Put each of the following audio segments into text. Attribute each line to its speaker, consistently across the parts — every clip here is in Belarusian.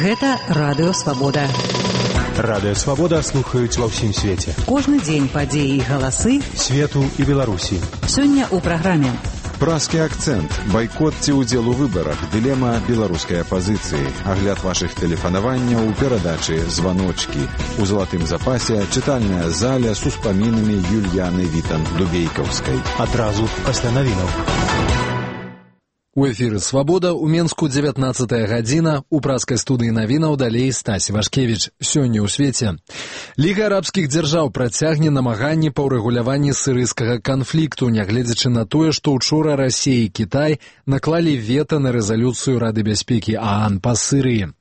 Speaker 1: Гэта Радыё Свабода.
Speaker 2: Радыё Свабода слухаюць ва ўсім свеце.
Speaker 1: Кожны дзень падзеі і галасы
Speaker 2: свету і Беларусі.
Speaker 1: Сёння ў праграме
Speaker 3: Празкі акцэнт, байкот ці ўдзел у выбарах, дылема беларускай апазіцыі, агляд вашых тэлефанаванняў у перадачы «Званочкі». У залатым запасе чытальная заля з успамінамі Юльяны Вітанд-Дубейкаўскай.
Speaker 2: Адразу пасля навінаў.
Speaker 4: У эфіры «Свабода», у Менску 19 гадзіна, у празкай студыі навінаў далей Стась Вашкевіч. Сёння ў свеце. Ліга арабскіх дзяржаў працягне намаганні па ўрэгуляванні сірыйскага канфлікту, нягледзячы на тое, што ўчора Расія і Кітай наклалі вета на рэзалюцыю Рады бяспекі ААН па Сірыі.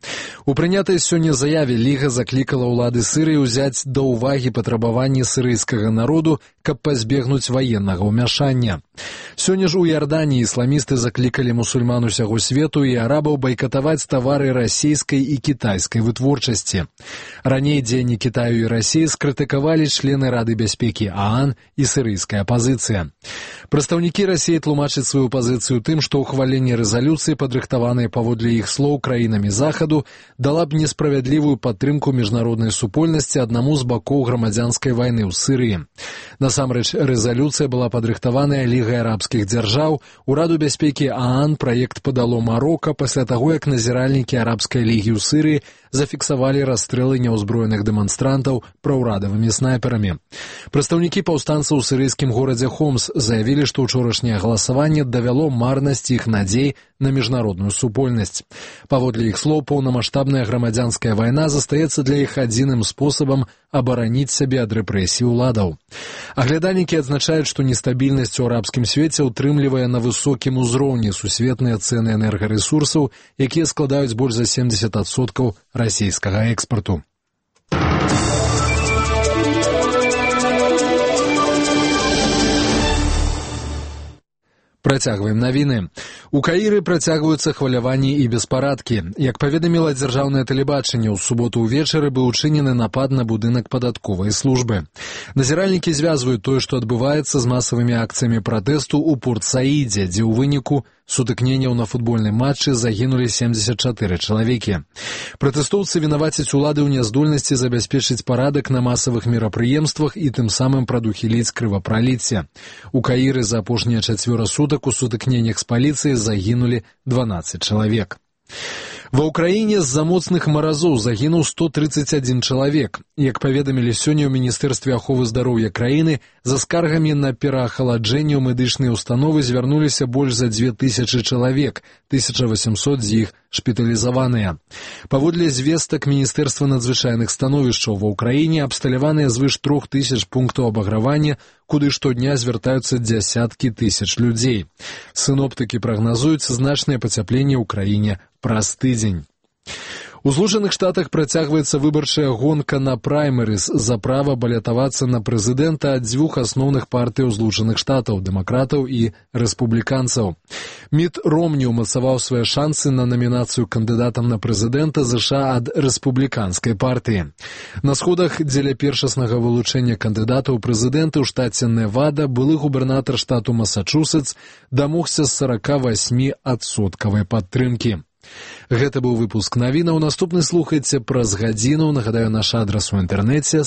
Speaker 4: У прынятай сёння заяве Ліга заклікала ўлады Сірыі ўзяць да ўвагі патрабаванні сірыйскага народу, каб пазбегнуць ваеннага ўмяшання. Сёння ж у Іорданіі ісламісты заклікалі мусульман усяго свету і арабаў байкатаваць тавары расійскай і кітайскай вытворчасці. Раней дзеянні Кітаю і Расіі скрытыкавалі члены Рады бяспекі ААН і сірыйская апазіцыя. Прадстаўнікі Расіі тлумачаць сваю пазіцыю тым, што ўхваленне рэзалюцыі, падрыхтаванай паводле іх слоў краінамі Захаду, дала б несправядлівую падтрымку міжнароднай супольнасці аднаму з бакоў грамадзянскай вайны ў Сірыі. Насамрэч, рэзалюцыя была падрыхтаваная Лігай арабскіх дзяржаў, у Раду бяспекі ААН праект падало Марока пасля таго, як назіральнікі арабскай лігі ў Сірыі зафіксавалі расстрэлы няўзброеных дэманстрантаў праўрадавымі снайперамі. Прадстаўнікі паўстанцаў у сірыйскім горадзе Хомс заявілі, што ўчорашняе галасаванне давяло марнасць іх надзей на міжнародную супольнасць. Паводле іх слоў, паўнамаштабная грамадзянская вайна застаецца для іх адзіным спосабам абараніць сябе ад рэпрэсій уладаў. Аглядальнікі адзначаюць, што нестабільнасць у арабскім свеце ўтрымлівае на высокім узроўні сусветныя цэны энергарэсурсаў, якія складаюць больш за 70% расійскага экспарту. Працягваем навіны. У Каіры працягваюцца хваляванні і беспарадкі. Як паведаміла дзяржаўнае тэлебачанне, ў суботу ўвечары быў учынены напад на будынак падатковай службы. Назіральнікі звязваюць тое, што адбываецца з масавымі акцыямі пратэсту ў Порт-Саідзе, дзе ў выніку сутыкненняў на футбольным матчы загінулі 74 чалавекі. Пратэстоўцы вінавацяць улады ў няздольнасці забяспечыць парадак на масавых мерапрыемствах і тым самым прадухіліць крывапраліцце. У Каіры за апошнія 4 сутак у сутыкненнях з паліцыяй загінулі 12 чалавек. Ва ўкраіне з-за моцных маразоў загінуў 131 чалавек. Як паведамілі сёння ў Міністэрстве аховы здароўя краіны, за скаргамі на пераахаладжэнне ў медычныя ўстановы звярнуліся больш за 2000 чалавек, 1800 з іх шпіталізаваныя. Паводле звестак Міністэрства надзвычайных становішчаў ва ўкраіне абсталяваныя звыш 3000 пунктаў абагравання, куды штодня звяртаюцца дзясяткі тысяч людзей. Сіноптыкі прагназуюць значнае пацяпленне ў краіне праз тыдзень. У Злучаных Штатах працягваецца выбарчая гонка на праймерыз за права балятавацца на прэзідэнта ад дзвюх асноўных партыяў Злучаных Штатаў – дэмакратаў і рэспубліканцаў. Міт Ромні ўмацаваў свае шансы на намінацыю кандыдатам на прэзідэнта ЗША ад рэспубліканскай партыі. На сходах дзеля першаснага вылучэння кандыдата ў прэзідэнты ў штаце Невада былы губернатар штату Масачусетс дамогся 48% падтрымкі. Гэта быў выпуск навінаў. Наступны слухайце праз гадзіну. Нагадаю, наш адрас у інтэрнэце